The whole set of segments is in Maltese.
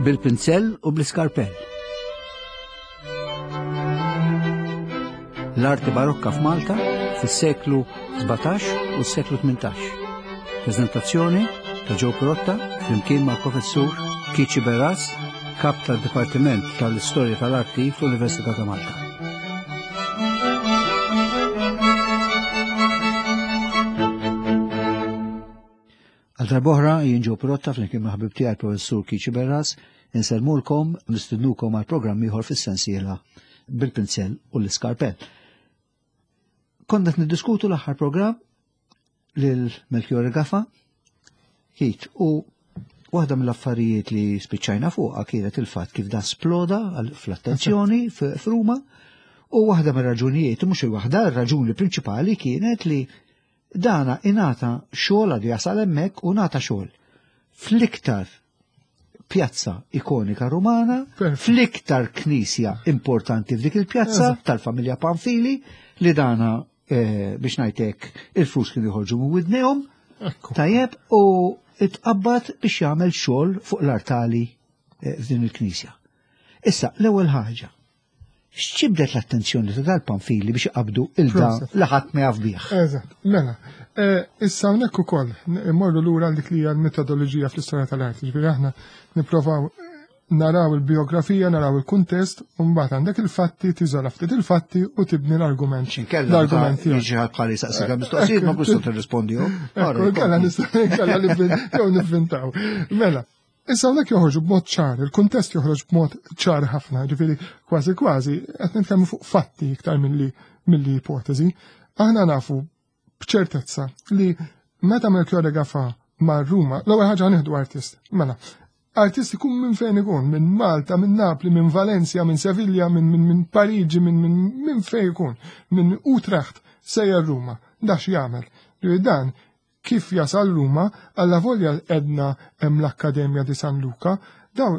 Bil-pinzell u bl-iskarpell. L-arti barokka f'Malta fis-seklu 17 u s-seklu 18. Prezentazzjoni ta' Joe Pirotta flimkien mal-professur Kici Beras, kap tad-Dipartiment tal-Istorja tal-Arti fl-Università ta' Malta. Għal darb'oħra jien Joe Pirotta flimkien ma' ħabib tiegħi professur Kici Berras insellmulkom u nistidnukom għal programm ieħor fis-sensiela bil-pinzell u l-iskarpell. Konna qed niddiskutu l-aħħar programm lil Melchior Gafa, Kit, u waħda mill-affarijiet li spiċċajna fuqha kienet il-fatt kif da sploda fl-attenzjoni f'Ruma u waħda mir-raġunijiet, mhux il-waħda, ir-raġuni prinċipali kienet li dana ingħata xogħol għadu jasal hemmhekk u ngħata xogħol fl-iktar pjazza ikonika Rumana, fl-iktar knisja importanti f'dik il-pjazza tal-familja Panfili li dana eh, biex ngħidlek il-flus kienu joħorġu minn widnejhom. Tajjeb u itqabbad biex jagħmel xogħol fuq l-artali eh, f'din il-knisja. Issa, l-ewwel ħaġa, X'ġibdet l-attenzjoni ta' dal-Pamfili biex iqabbdu il da li ħadd ma jaf bih? Eżatt, mela. Eh, issa hawnhekk ukoll immorru lura dik li hija l-metodoloġija fl-istorja tal-arti, ġifieri aħna nipprovaw naraw il-biografija, naraw il-kuntest, u mbagħad għandek il-fatti, tiżola ftit il-fatti u tibni l-argument. Xinkella l-argument jiġi ħadd bħali saqsik mistoqsijiet ma kustu tirrispondihom. Kella nistgħu kella jew nivvintaw. Mela, Issa hawnhekk joħorġu b'mod ċar, il-kuntest joħroġ b'mod ċar ħafna, ġifieri kważi kważi qed nitkellmu fuq fatti iktar milli milli ipotezi. Aħna nafu b'ċertezza li meta Melchiorre Gafa mar Ruma, l-ewwel ħaġa nieħdu artist. Mela, artist ikun minn fejn ikun, minn Malta, minn Napli, minn Valencia, minn Sevilla, minn min, min Pariġi, minn min, min fejn ikun, minn Utrecht, sejjer Ruma. Dax jagħmel. Dan Kif jasal Ruma, allavolja għedna hemm l-Akkademja di San Luca, dawn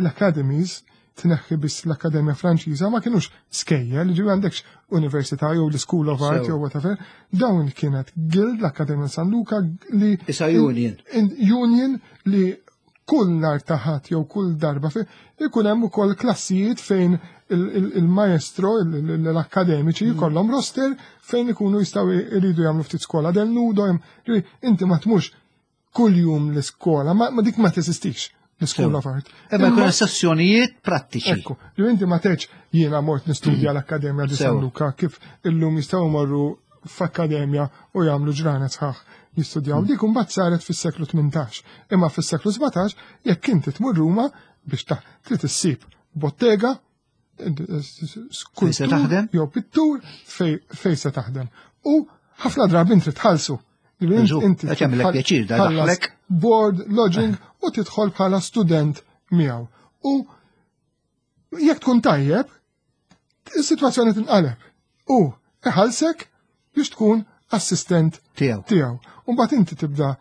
l-academies, tneħħi biss l-Akkademja Franċiża, ma kinux skejjel, ġifieri għandekx università jew l-School of Art jew whatever, dawn kienet guild l-Akkademja San Luca li. Isa union. Union li kull nhar ta' Ħadd jew kull darba fi ikun hemm ukoll klassijiet fejn il-maestro, l-akkademiċi mm. jkollhom roster fejn ikunu jistgħu jridu jagħmlu ftit skola del nudo, inti ma tmux kuljum l-iskola, ma dik ma teżistix l-School of Art. Imma jkun sessjonijiet prattiċi. Ekku, li inti ma teċ jiena mort nistudja l-Akkademja di San Luca kif illum jistgħu morru f'akkademja u jagħmlu ġranet sħaħ jistudjaw. Hmm. Dik imbagħad saret fis-seklu 18. Imma fis-seklu 17 jekk inti tmur Ruma biex ta' trid issib bottega skultur jew pittur fej se taħdem. U ħafna drabi inti tħallsu. Inti pjaċir da board, lodging u tidħol bħala student miegħu. U jekk tkun tajjeb, is-sitwazzjoni tinqaleb. U iħallsek biex tkun assistent tiegħu. Tiegħu. U mbagħad inti tibda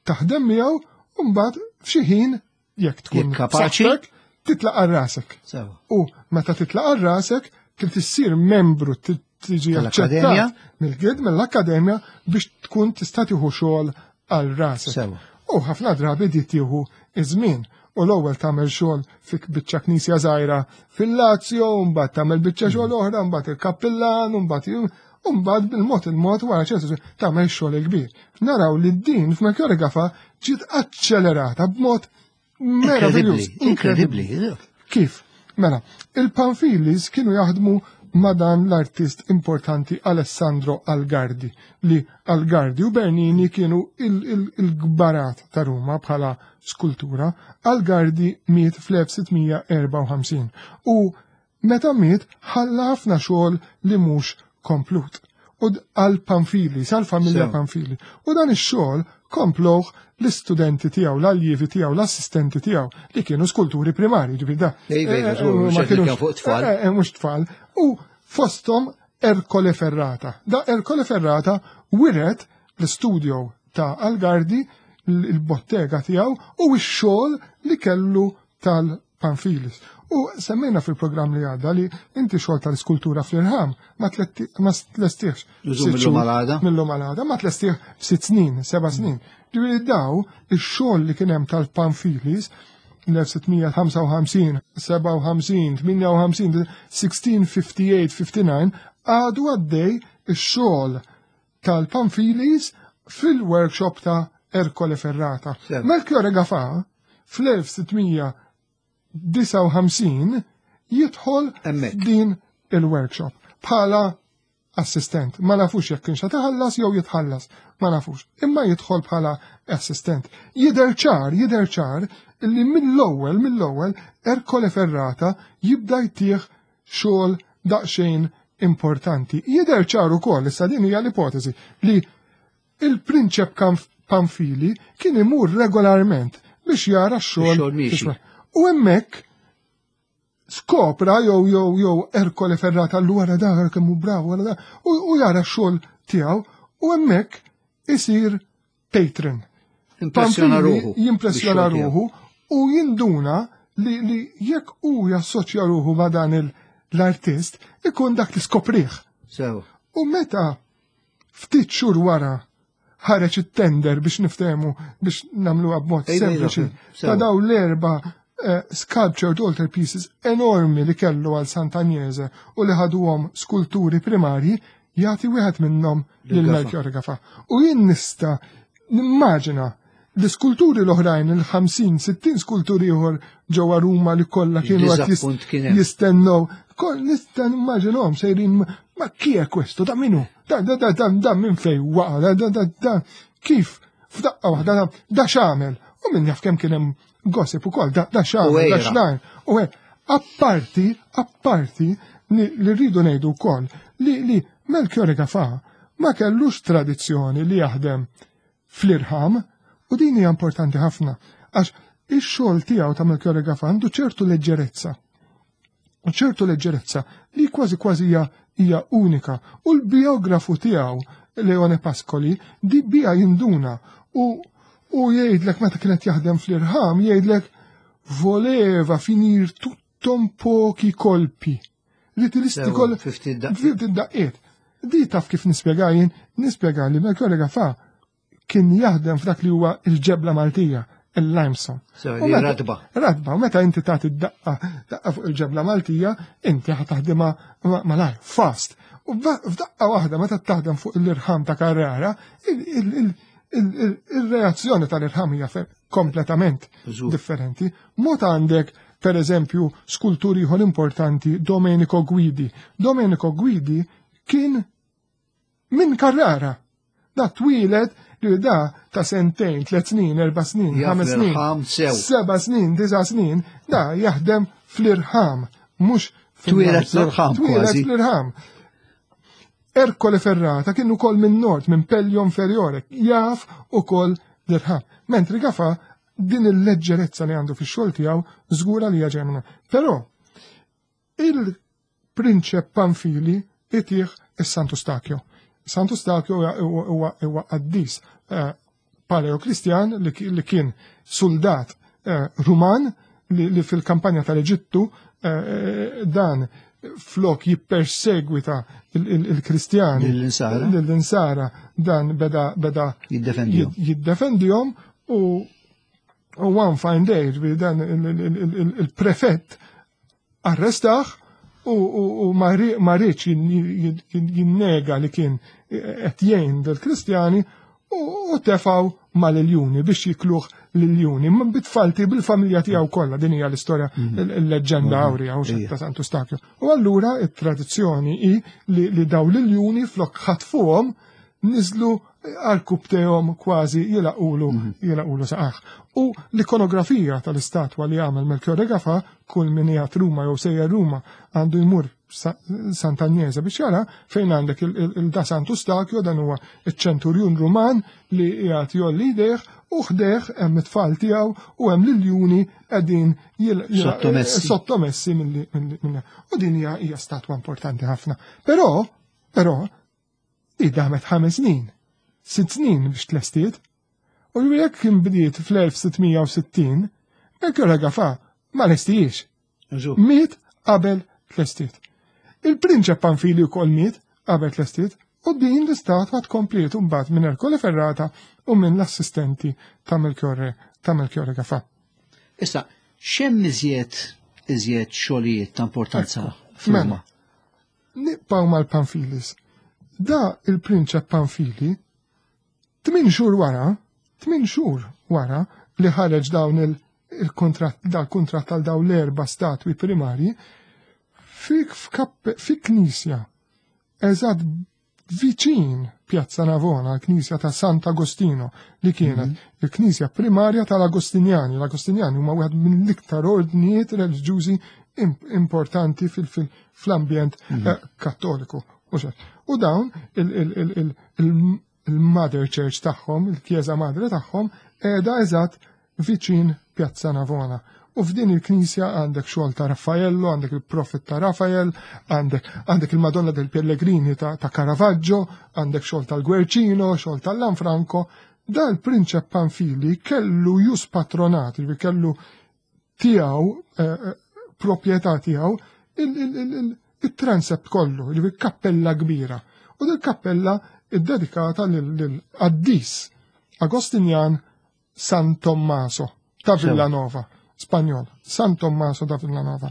taħdem miegħu u mbagħad f'xi ħin jekk tkun kapaċi titlaq għal rasek. U meta titlaq għal rasek trid issir membru tiġi aċċettat mill-gid mill-akkademja biex tkun tista' tieħu xogħol għal rasek. U ħafna drabi di tieħu iż-żmien u l-ewwel tagħmel xogħol fi biċċa knisja żgħira fil-Lazio, mbagħad tagħmel biċċa xogħol mm. oħra, mbagħad il-kappillan, mbagħad u mbagħad bil-mod il-mod wara ċertu tagħmel xogħol il-kbir. Naraw li din f'Melchiore Gafa ġiet aċċelerata b'mod meraviljuż. Inkredibbli. Kif? Mela, il-Panfilis kienu jaħdmu ma' dan l-artist importanti Alessandro Algardi, li Algardi u Bernini kienu il-gbarat ta' Ruma bħala skultura. Algardi miet fl-1654 u Meta miet ħalla ħafna xogħol li mhux komplut. U għal Panfili, sal-familja Panfili. U dan ix-xogħol komploh l-istudenti tiegħu, l-aljivi tiegħu, l-assistenti tiegħu li kienu skulturi primari, ġifieri da. Eh, eh, ma kienu fuq tfal. Eh, mhux tfal. U fosthom Ercole Ferrata. Da Ercole Ferrata wiret l-studio ta' Algardi, il-bottega tiegħu u x-xogħol li kellu tal Pamfilis. U semmejna fil-programm li għadda li inti xogħol tal-iskultura fl-irħam ma tlestiex. Mill-lum għal Mill-lum għal ma tlestiex f'sitt snin, seba' snin. Ġifieri daw ix-xogħol li kien hemm tal-Pamfilis. l-1655, 57, 58, 1658, 59 għadu għaddej ix-xogħol tal-Pamfilis fil-workshop ta' Ercole Ferrata. Melchiorre Gafà fl-1659 jidħol din il-workshop bħala assistent. Ma nafux jekk kienx taħallas jew jitħallas, ma nafux. Imma jidħol bħala assistent. Jidher ċar, jidher ċar illi mill-ewwel, mill-ewwel Ercole Ferrata jibda jtih xogħol daqsxejn importanti. Jidher ċar ukoll, issa din hija l-ipotezi, li il-prinċep Pamfili kien imur regolarment biex jara x-xogħol. U hemmhekk skopra jew jew jew Ercole Ferrata l wara da kemm hu bravu wara da u jara x-xogħol tiegħu u hemmhekk isir patron. Impressjona ruħu. Jimpressjona ruħu u jinduna li, li jekk hu jassoċja ruħu ma' dan l-artist ikun dak li skoprih. Sew. U meta ftit xhur wara ħareġ it-tender biex niftehmu biex nagħmluha b'mod sempliċi ta' daw l-erba' eh, sculptured altar pieces enormi li kellu għal Sant'Agnese u li ħaduhom skulturi primarji jagħti wieħed minnhom lil Melchior Gafa. U jien nista' nimmaġina l-iskulturi l-oħrajn, il-50-60 skulturi ieħor ġewwa Ruma li kollha kienu qed jistennew. Kol nista' nimmaġinhom sejrin ma chi è questo, da minu? Da da da da da minn fej waqa, da da da da kif f'daqqa waħda da da x'għamel. U min jaf kemm kien hemm gossip ukoll, da da x'għamel, da x'nar. U apparti, apparti li rridu ngħidu wkoll li li Melchiorre Gafà ma kellux tradizzjoni li jaħdem fl-irħam u din hija importanti ħafna għax ix-xogħol tiegħu ta' Melchiorre Gafà għandu ċertu leġġerezza. U ċertu leġġerezza li kważi kważi hija hija unika. U l-biografu tiegħu Leone Pascoli di bija jinduna u u jgħidlek meta kienet jaħdem fl-irħam jgħidlek voleva finir tutto pochi colpi. Li tilisti kol ftit daqqiet. Di taf kif nispjega jien, nispjega li Melchiorre Gafà kien jaħdem f'dak li huwa il-ġebla Maltija, il-limestone. Radba. Radba, u meta inti tagħti daqqa daqqa fuq il-ġebla Maltija, inti ħa taħdimha malajr, fast. U f'daqqa waħda meta taħdem fuq l-irħam ta' Carrara, il-reazzjoni tal-irħam hija kompletament differenti. Mod għandek, per eżempju, skultur ieħor importanti, Domenico Guidi. Domenico Guidi kien minn Carrara. Da twieled li da ta' sentejn, tliet snin, erba' snin, ħames snin, seba' snin, disa' snin, da jaħdem fl-irħam, mhux Twieled fl-irħam. Twieled fl-irħam. Ercole Ferrata kien ukoll minn nord, minn Pellio Inferiore, jaf ukoll l-irħam. Mentri Gafa din il-leġġerezza li għandu fix-xogħol tiegħu żgura li hija ġemna. Però il-prinċep Pamfili itih is-Santu Stakjo. Santu Stakjo huwa qaddis eh, Paleo-Kristjan li kien suldat eh, Ruman li fil-kampanja tal-Eġittu eh, dan flok jippersegwita il-Kristjani l-insara dan beda beda jiddefendihom u one fine day dan il-prefett arrestaħ u ma rridx jinnega li kien qed jgħin dal-Kristjani u tefaw mal-iljuni biex jikluh l-iljuni. Ma bitfalti bil-familja tiegħu kollha din hija l-istorja mhm. l-leġġenda mhm. awrija u ta' Santu Stakju. U allura it-tradizzjoni hi li daw l-iljuni flok ħatfuhom niżlu għal-kubtejhom kważi jilaqulu mhm. jilaqulu saqaħ. U l-ikonografija tal-istatwa li għamel Melchiorre Gafa, kull min jgħat Ruma jew sejjer Ruma għandu jmur Sant'Agnese biex jara fejn għandek il-da Santu Stakjo dan huwa iċ-ċenturjun Ruman li jgħat jolli jdejh u ħdejh hemm it-tfal tiegħu u hemm l-iljuni qegħdin sottomessi milli U din hija statwa importanti ħafna. Però, però, Di damet ħames snin, sitt snin biex tlestiet. U jekk kien bdiet fl-1660, Melchior Gafà ma lestijiex. Miet qabel tlestiet. Il-prinċep Panfili wkoll miet qabel tlestiet u din l-istatwa tkompliet mbagħad minn Ercole Ferrata u minn l-assistenti ta' Melchiorre ta' Melchiorre Gafà. Issa, X'hemm iżjed iżjed xogħlijiet ta' importanza f'Ruma? Mela, nibqgħu mal-Panfilis. Da il-Prinċep Panfili, tmin xhur wara, tmin xhur wara li ħareġ dawn il-kuntratt dal-kuntratt għal dawn l-erba' statwi primarji, fi knisja eżatt viċin Piazza Navona, l-Knisja ta' Sant'Agostino, li kienet mhm. il-Knisja primarja tal-Agostinjani. L-Agostinjani huma wieħed mill-iktar ordnijiet reliġjużi importanti fl-ambjent mhm. eh, kattoliku. U dawn il-Mother Church tagħhom, il-Kjeza Madre tagħhom, qiegħda eżatt viċin Pjazza Navona. U f'din il-knisja għandek xogħol ta' Raffaello, għandek il-Profet ta' Rafael, għandek, għandek il-Madonna del Pellegrini ta', ta Caravaggio, għandek xogħol tal-Guercino, xogħol tal-Lanfranco. Da l-Prinċep Panfili kellu jus patronat, li kellu tiegħu eh, eh, proprjetà tiegħu il-transept kollu, li kappella kbira. U dil kappella ddedikata lill-qaddis Agostinjan San Tommaso ta' Villanova, Spanjol, San Tommaso ta' Villanova.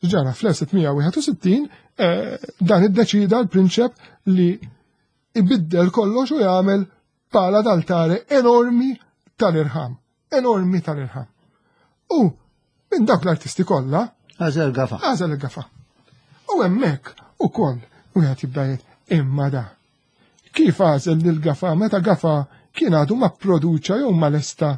Ġara fl-1661 eh, dan iddeċida l-prinċep li ibiddel kollox u jagħmel pala d'altare enormi tal-irħam, enormi tal-irħam. U minn dawk l-artisti kollha Għażel gafa. Għażel il-gafa. U hemmhekk ukoll wieħed jibda jgħid imma da. Kif għażel lil Gafa meta Gafa kien għadu ma pproduċa jew ma lesta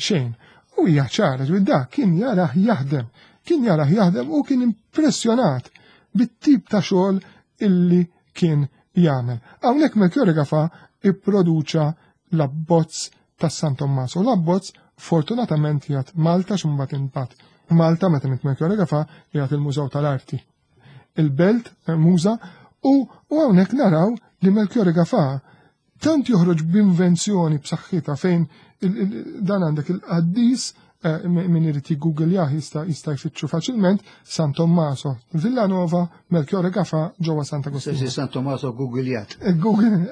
xejn? U hija ċara li da kien jarah jaħdem, kien jarah jaħdem u kien impressjonat bit-tip ta' xogħol illi kien jagħmel. Hawnhekk Melchiorre Gafa ipproduċa l-abbozz ta' San Tommaso. L-abbozz fortunatament jgħat Malta x'imbagħad imbagħad Malta meta Melchiorre Gafa jgħat il-Mużew tal-Arti il-belt, Muża, u hawnhekk naraw li Melchiorre Gafà tant joħroġ b'invenzjoni b'saħħitha fejn dan għandek il-qaddis eh, min irid jiggoogljah jista' jista' jfittxu faċilment San Tommaso, Villanova, Melchiorre Gafà ġewwa Santa Agostino. San Tommaso googljat. Eh, Google,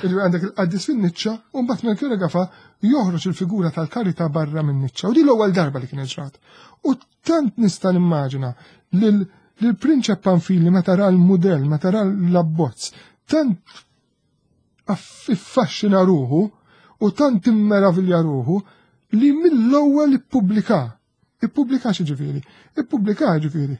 għandek il-qaddis fin-niċċa u mbagħad Melchiorre Gafà joħroġ il-figura tal-karità barra min-niċċa. U di l-ewwel darba li kien ġrat. U Tant nista' nimmaġina lil prinċep Panfili meta ra l-mudell, meta ra l-abbozz, tant affaxxina ruħu u tant immeravilja ruħu li mill-ewwel ippubblika. Ippubblika xi ġifieri? Ippubblika ġifieri.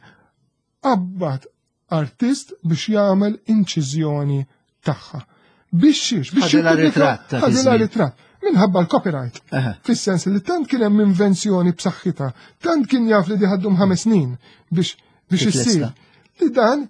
Qabbat artist biex jagħmel inċiżjoni tagħha. Biex xiex, biex ħadilha ritratt. Ħadilha ritratt. Minħabba l-copyright. Fis-sens li tant kien hemm invenzjoni b'saħħitha, tant kien jaf li diħaddum ħames snin biex biex issir. Li dan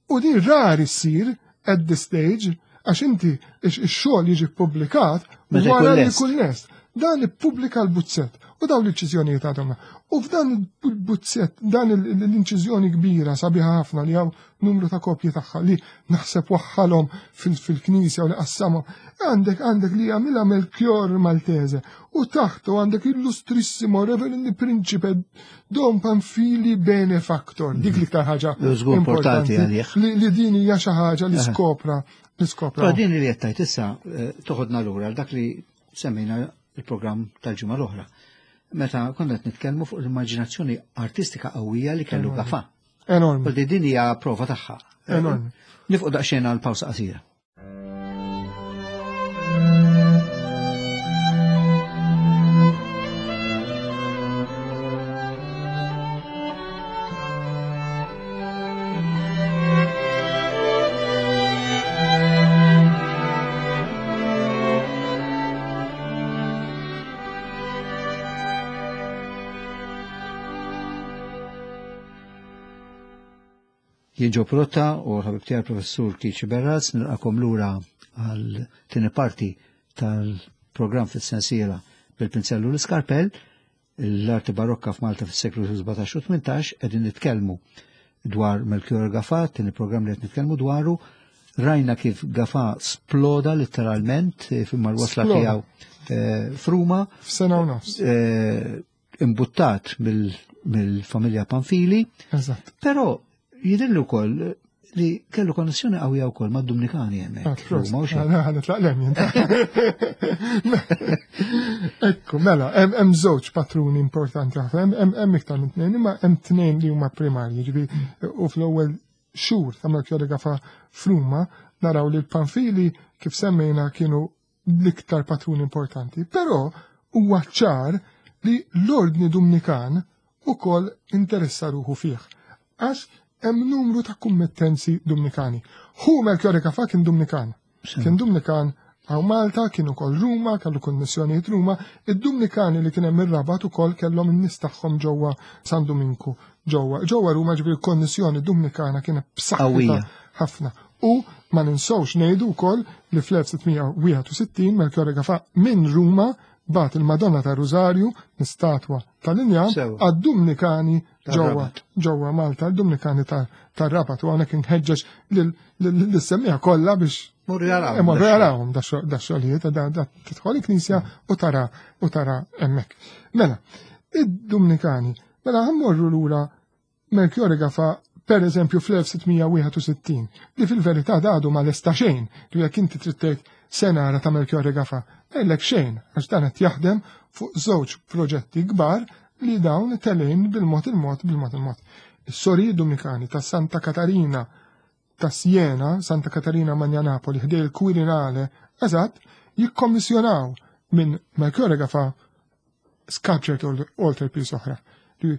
u din rari ssir at this stage għax inti ix-xogħol jiġi ppubblikat wara li jkun lest. Dan ippubblika l-buzzett u dawn l-inċiżjonijiet għadhom. U f'dan il-buzzett, dan l-inċiżjoni kbira sabiħa ħafna li hawn numru ta' kopji tagħha li naħseb waħħalhom fil-knisja u li qassamhom. Għandek għandek li jagħmilha Melchior Maltese u taħtu għandek illustrissimo Reverend Principe Don Panfili Benefactor. Dik l-iktar ħaġa importanti li din hija xi ħaġa li skopra Niskopra. Però din li qed tgħid issa eh, toħodna lura għal dak li semmejna il-programm tal-ġimgħa l-oħra. Meta konna qed nitkellmu fuq l-immaġinazzjoni artistika qawwija li kellu Gafa. Enormi. U din hija prova tagħha. Enormi. Nifqu daqsxejn għal pawsa qasira. Jien Ġo Protta u ħabib tiegħi professur Kiċi Berraz nilqakom lura għal tieni parti tal-programm fis-sensiela bil-pinzellu l-iskarpell l-arti barokka f'Malta fis-seklu 17 u 18 qegħdin nitkellmu dwar Melchior Gafà, tieni programm li qed nitkellmu dwaru, rajna kif Gafà sploda letteralment eh, mal-wasla tiegħu eh, f'Ruma. F'sena u nofs. Eh, imbuttat mill-familja Panfili. Eżatt. Però jidhirli wkoll li kellu konnessjoni qawwija wkoll mad-Dumnikani hemmhekk. Ah, nitlaq lem jien. Ekku, mela, hemm żewġ patruni importanti ħafna, hemm iktar minn tnejn, imma hemm tnejn li huma primarji, ġifieri u fl-ewwel xhur ta' Melchiorre Gafa f'Ruma naraw li l-Panfili kif semmejna kienu l-iktar patruni importanti, però huwa ċar li l-Ordni Dumnikan ukoll interessa ruħu fih, għax hemm numru ta' kummittenzi Dumnikani. Hu Melchiorre Gafà kien Dumnikan. Kien Dumnikan għaw Malta, kien ukoll Ruma, kellu konnessjonijiet Ruma, id-Dumnikani li kien hemm ir-Rabat ukoll kellhom in-nies tagħhom ġewwa San Duminku, ġewwa ġewwa Ruma ġifieri konnessjoni Dumnikana kienet b'saħħitha ħafna. U ma ninsewx ngħidu wkoll li fl-1661 Melchiorre Gafà minn Ruma bat il-Madonna ta' Rużarju, l-istatwa tal-injam, għad-Dumnikani ġewwa ġewwa Malta, l-Dumnikani tar-Rabat u hawnhekk inħeġġeġ lis-semmiegħa kollha biex Morru jarawhom. Morru jarawhom da xogħlijiet, da tidħol il-knisja u tara u tara hemmhekk. Mela, id-Dumnikani, mela ħammorru lura Melchiorre Gafà per eżempju fl-1661, li fil-verità għadu ma lesta xejn, li jekk inti trid tgħid se nara ta' Melchiorre Gafà, ngħidlek xejn, għax dan qed jaħdem fuq żewġ proġetti kbar li dawn telgħin bil-mod il-mod bil-mod il-mod. Is-sorijiet Dumnikani ta' Santa Katarina ta' Siena, Santa Katarina Magna Napoli, ħdej il-Quirinale, eżatt, jikkommissjonaw minn Melchiorre Gafà sculpture altarpiece oħra. Li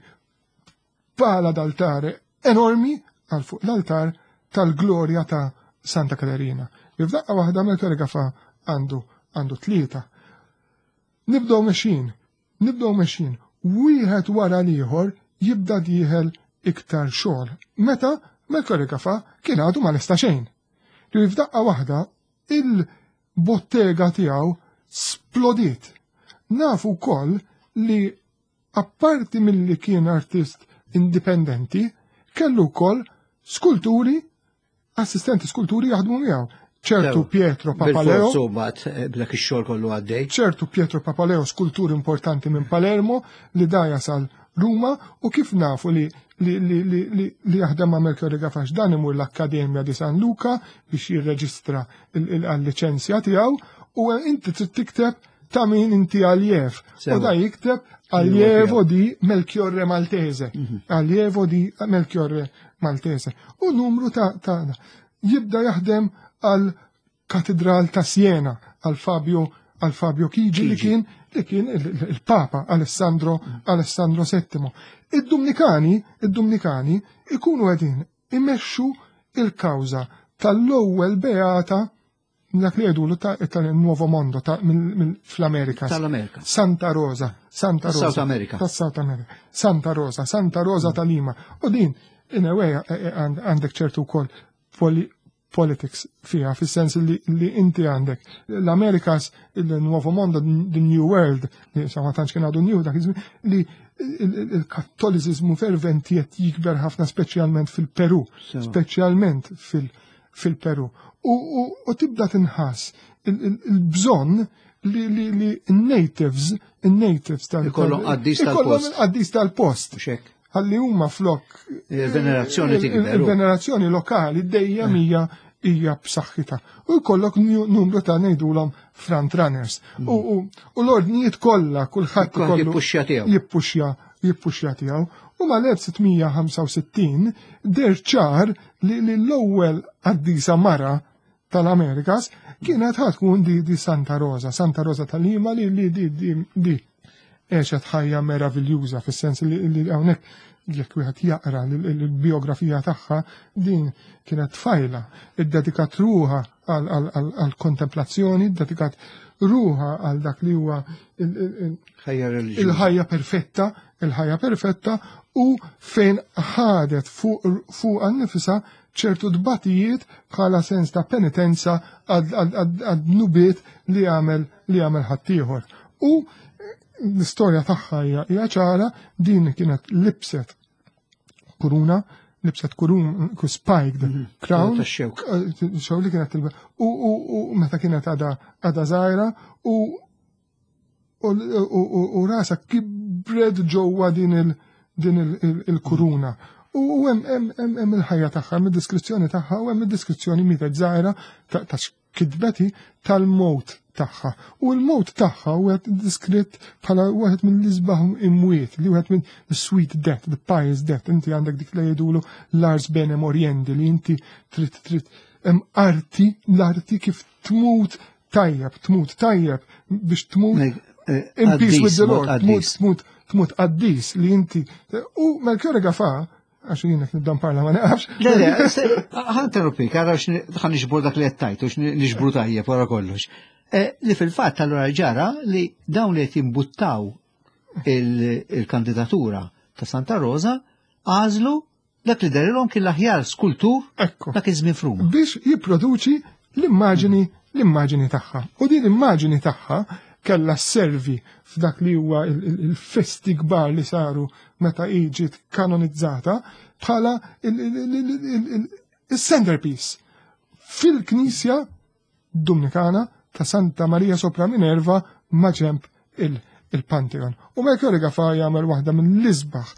pala d'altare enormi għal fuq l-altar tal-glorja ta' Santa Katerina. Li f'daqqa waħda Melchiorre Gafà għandu għandu tlieta. Nibdew mexjin, nibdew mexjin, wieħed wara l-ieħor jibda dieħel iktar xogħol. Meta Melchiorre Gafà kien għadu ma lesta xejn. Li f'daqqa waħda il-bottega tiegħu splodiet. Nafu wkoll li Apparti milli kien artist indipendenti, kellu wkoll skulturi, assistenti skulturi jaħdmu miegħu. Ċertu Pietro Papaleo. Bil-forz eh, b'dak ix-xogħol kollu għaddej. Ċertu Pietro Papaleo, skultur importanti minn Palermo li da jasal Ruma u kif nafu li li, li, li, li, li jaħdem ma' Melchiorre Gafax dan imur l-Akkademja di San Luca biex jirreġistra il-liċenzja tiegħu u inti trid tikteb ta' min inti aljev. U da jikteb allievo di Melchiorre Maltese. Mhm. Allievo di Melchiorre Maltese. U numru ta' ta' jibda jaħdem għal katedral ta' Siena għal Fabio għal Fabio Chigi li kien li kien il-Papa Alessandro mhm. Alessandro VII. Id-Dumnikani, id-Dumnikani ikunu qegħdin imexxu il-kawża tal-ewwel beata dak li jgħidulu ta' tal-Nuovo Mondo ta' fl-Amerika. Tal-Amerika. Santa Rosa, Santa Rosa. South America. Ta' South America. Santa Rosa, Santa Rosa ta' Lima. U din, in a way, eh, eh, għandek ċertu wkoll politics fiha, fis-sens li, li inti għandek l-Amerikas, il-Nuovo Mondo, the New World, li sa ma tantx kien għadu new dak iż-żmien, li il-kattoliżiżmu ferventi qed jikber ħafna speċjalment fil-Peru, speċjalment fil- fil-Peru. U tibda tinħass il-bżonn li li natives, il-natives tal Ikollhom qaddis tal-post. Qaddis tal-post. Ħalli huma flok. Il-venerazzjoni tikber. Il-venerazzjoni lokali dejjem eh. hija hija b'saħħitha. U jkollok numru ta' ngħidulhom front runners. Mm. U l-ordnijiet kollha kulħadd ikollu jippuxxja tiegħu. Jippuxxja jippuxxja tiegħu. U mal-1665 der ċar li l-ewwel qaddisa mara tal-Amerikas kienet ħatkun di, di Santa Rosa, Santa Rosa tal-Lima li li di di di għexet ħajja meraviljuża fis-sens li li hawnhekk jekk wieħed jaqra l-biografija tagħha din kienet tfajla iddedikat ruħha għal-kontemplazzjoni, dedikat ruħha għal dak li huwa il-ħajja perfetta, il-ħajja perfetta u fejn ħadet fuq nifisha ċertu tbatijiet bħala sens ta' penitenza għad-dnubiet li għamel li għamel ħaddieħor. U l-istorja tagħha hija ċara din kienet libset kuruna, libset kurun, spiked mhm. crown. Eh, xew li kienet tilba. U meta kienet għada zaħira u u rasa kibred ġewwa din il-kuruna. U hemm il-ħajja tagħha, hemm id-deskrizzjoni tagħha u hemm id-deskrizzjoni mietet żgħira ta' kitbeti tal-mowt tagħha. U l-mowt tagħha huwa diskritt bħala wieħed mill-isbaħ imwiet, li wieħed minn sweet death, the pious death. Inti għandek dik li jgħidulu l-ars bene moriendi li inti trid trid hemm arti, l-arti kif tmut tajjeb, tmut tajjeb biex tmut in peace with the Lord, tmut tmut tmut qaddis li inti. U Melchiorre Gafà, għax jien qed nibda nparla ma naqafx. Le, le, ħa interrompik, għara ħa niġbru dak li qed tajt, u niġbru tajjeb wara kollox. Li fil-fatt allura ġara li dawn li qed jimbuttaw il-kandidatura ta' Santa Rosa għażlu dak li derilhom kien l-aħjar skultur dak iż-żmien f'Ruma. Biex jipproduċi l-immaġini tagħha. U din l-immaġini tagħha kellha servi f'dak li huwa il-festi kbar li saru meta hi ġiet kanonizzata bħala il-centerpiece fil-knisja Dumnikana ta' Santa Maria sopra Minerva maġenb il-Pantheon. U Melchiorre Gafà jagħmel waħda mill-isbaħ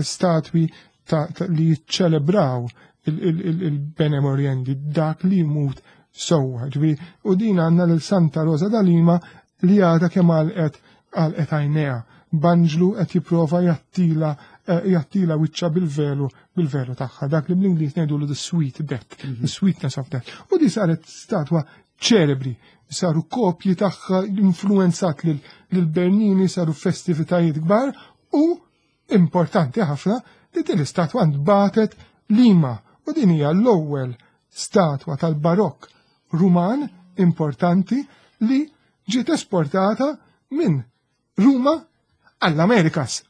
statwi li jiċċelebraw il-Bene Moriendi, dak li jmut sewwa. Ġifieri, u din għandna lil Santa Rosa da Lima li għadha kemm għalqet għalqet għajnejha. B'anġlu qed jipprova jattila jattila wiċċha bil-velu bil-velu tagħha, dak li bl-Ingliż ngħidulu the sweet death, the sweetness of death. U di saret statwa ċelebri, saru kopji tagħha influenzat lil Bernini, saru festivitajiet kbar u importanti ħafna li din l-istatwa ntbatet Lima u din hija l-ewwel statwa tal-Barokk Ruman importanti li ġiet esportata minn Ruma għall-Amerikas.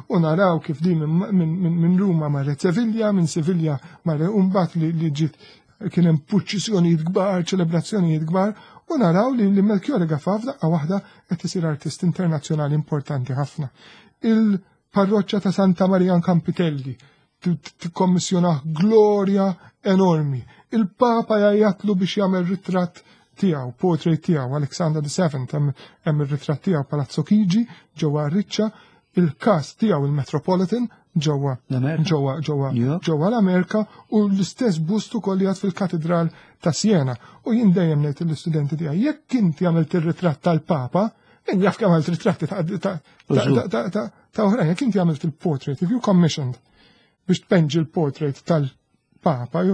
U naraw kif din minn Ruma marret Sevilla, minn Sevilla marret mbagħad li ġiet kien hemm purċissjonijiet kbar, ċelebrazzjonijiet kbar, u naraw li Melchiorre Gafà f'daqqa waħda qed isir artist internazzjonali importanti ħafna. Il-parroċċa ta' Santa Maria Campitelli tikkommissjonah glorja enormi. Il-Papa jgħajjatlu biex jagħmel ritratt tiegħu, portrait tiegħu, Alexander the Seventh, hemm ir-ritratt tiegħu Palazzo Chigi ġewwa Riccia, il-każ tiegħu il-Metropolitan ġewwa ġewwa ġewwa ġewwa l-Amerika u l-istess bust ukoll jgħad fil-Katedral ta' Siena. U jien dejjem ngħid lill-istudenti tiegħi, jekk inti għamilt ir-ritratt tal-Papa, min jaf kemm għamilt ritratti ta' oħrajn, jekk inti għamilt il-portrait, if you commissioned biex tpenġi l-portrait tal-Papa,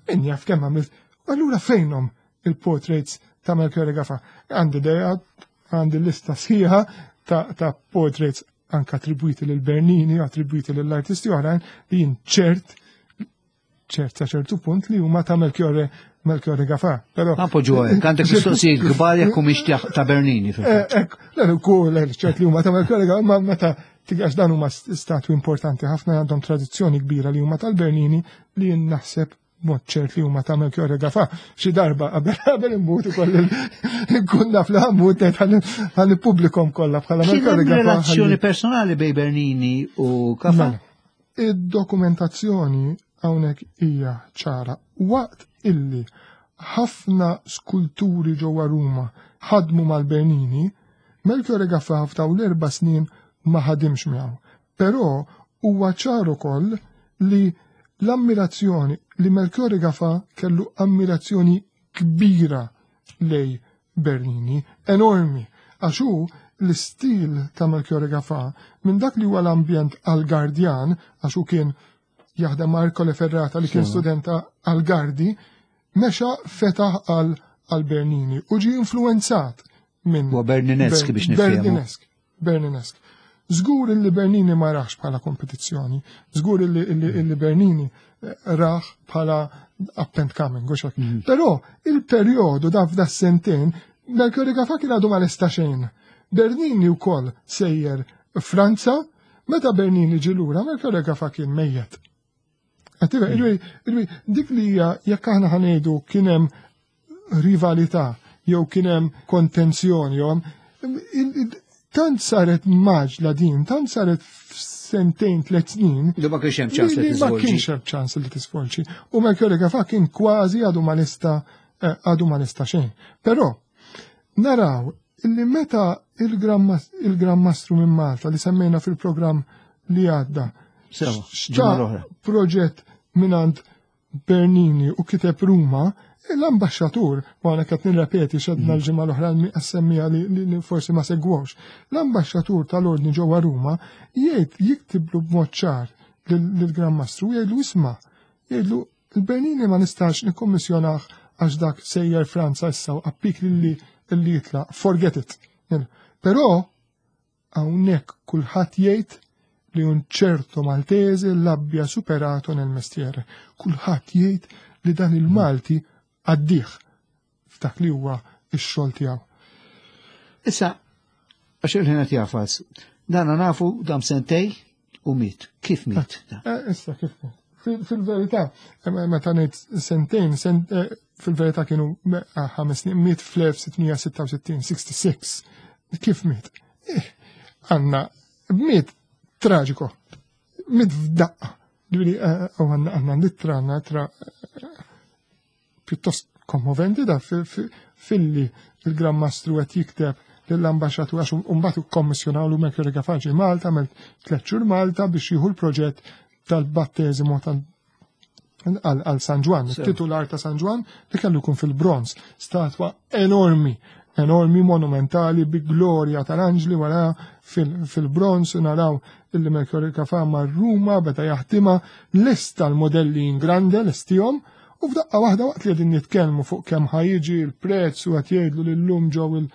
min jaf kemm għamilt, allura fejnhom il-portraits ta' Melchiorre Gafà? Għandi idea, għandi lista sħiħa ta' portraits anka attribwiti lil Bernini, attribwiti lill artisti oħrajn li jien ċert ċert sa ċertu punt li huma ta' Melchiorre Melchiorre Gafà. Però Appoġġu hekk, għandek mistoqsijiet kbar jekk humiex ta' Bernini fil-fatt. Ekk, le kull ċert li huma ta' Melchiorre Gafà, ma meta tigax dan huma statwi importanti ħafna għandhom tradizzjoni kbira li huma tal-Bernini li jien naħseb mod ċert li huma ta' Melchiorre Gafà. Xi darba qabel immut ukoll nkun naf li ħammut ngħid ħa nippubblikhom kollha bħala Kien Melchiorre hemm Gafà. relazzjoni personali bejn Bernini u Gafà? Mela, id-dokumentazzjoni hawnhekk hija ċara. Waqt illi ħafna skulturi ġewwa Ruma ħadmu mal-Bernini, Melchiorre Gafà f'dawn l-4 snin ma ħadimx miegħu. Però huwa ċar ukoll li l-ammirazzjoni li Melchiorre Gafà kellu ammirazzjoni kbira lej Bernini, enormi, għax hu l-istil ta' Melchiorre Gafà minn dak li huwa l-ambjent Algardjan, għax hu kien jaħdem ma' Ercole Ferrata li kien studenta Algardi, mexa fetaħ għal Bernini u ġie influenzat minn Huwa Berninesk biex nifhmu. Berninesk, Berninesk. Żgur illi Bernini ma raħx bħala kompetizzjoni, żgur illi Bernini raħ bħala up and coming, u xek. Però il-perjodu da f'da sentejn, Melchiorre Gafà kien għadu ma lesta xejn. Bernini wkoll sejjer Franza, meta Bernini ġie lura, Melchiorre Gafà kien mejjet. Dik li hija jekk aħna ħanejdu kien hemm rivalità jew kien hemm kontenzjoni jew tant saret maġla din, tant saret f'sentejn, 3 snin. Li ma kienx hemm ċans li Li ma tiżvolġi. kienx hemm ċans li tisvolġi. U Melchiorre Gafà kien kważi għadu ma lesta għadu ma lesta xejn. Però naraw illi meta il-Gran Mastru minn Malta li semmejna fil-programm li għadda Xtra proġett minant Bernini u kiteb Ruma, l-ambaxxatur, u għana qed nirrepeti xedna mm. l-ġimgħa l-oħra semmija li forsi ma segwux, l-ambaxxatur tal-ordni ġewwa Ruma jgħid jiktiblu b'mod ċar lill-Gran Mastru jgħidlu isma' jgħidlu il-Bernini ma nistax nikkommissjonah għax dak sejjer Franza issa u appik li li jitlaq, forget it. Però Hawnhekk kulħadd jgħid li un ċerto Maltese l'abbia superato nel mestiere. Kulħadd jgħid li dan il-Malti għaddih f'dak li huwa x-xogħol tiegħu. Issa, għax il-ħin qed jafas, dana nafu dam sentej u miet. Kif miet? Eh, eh, issa kif miet? Fil-verità, eh, meta ngħid sentejn, fil-verità kienu ħames snin, miet fl-1666, 66. Kif miet? Għanna, miet traġiko, miet f'daqqa. Ġifieri, u għanna għanna litra, għanna tra pjuttost kommoventi da filli il-Gran Mastru qed jikteb lill-ambaxxatur għax mbagħad ikkommissjonawlu Mercury Gafaġi Malta għamel tliet xhur Malta biex jieħu l-proġett tal-batteżimu tal għal San Ġwan, titular ta' San Ġwan li kellu jkun fil-bronz, statwa enormi, enormi monumentali bi glorja tal-anġli wara fil-bronz naraw illi Mercury Kafa mar Ruma beda jaħdimha lesta l-modelli in grande lestihom U f'daqqa waħda waqt li qegħdin nitkellmu fuq kemm ħa jiġi l-prezz u qed jgħidlu li llum ġew il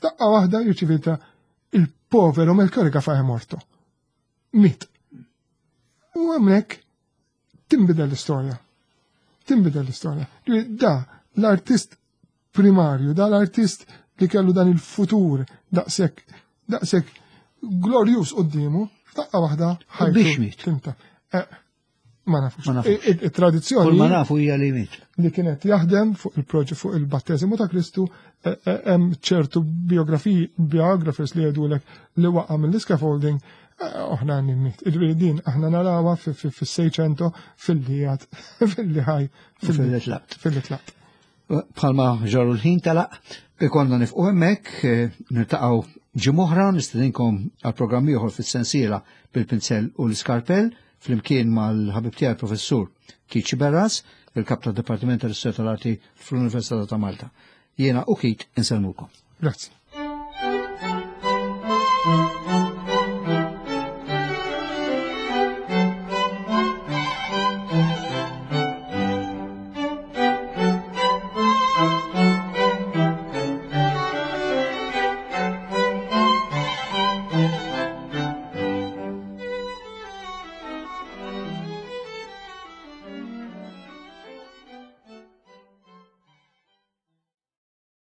daqqa waħda jirċivita il-povero Melchiorre Gafà morto. Miet. U hemmhekk tinbidel l-istorja. Tinbidel l-istorja. Da l-artist primarju, da l-artist li kellu dan il-futur daqshekk daqshekk glorjus quddiemu, f'daqqa waħda ħajtu. Eh, Ma nafux. Ma nafux. Il-tradizzjoni. Kull ma nafu hija li miet. Li kienet jaħdem fuq il-proġett fuq il-batteżimu ta' Kristu e, e, hemm ċertu biografiji biographers li jgħidulek li waqa' mill-scaffolding e, oħna miet. Iġifieri din aħna narawha fis-Seicento fil-li fil-li ħaj fil-li tlaqt. Fil-li tlaqt. Bħalma ġarru l-ħin telaq, ikonna nifqu hemmhekk, eh, niltaqgħu ġimgħa nistedinkom għal programm ieħor fis-sensiela bil-pinzell u l-iskarpell flimkien mal-ħabib tiegħi professur Kiċi Berras, il-kap tad-Dipartiment tal-Istorja tal-Arti fl-Università ta' Malta. Jiena u Kit insellmukom. Grazzi.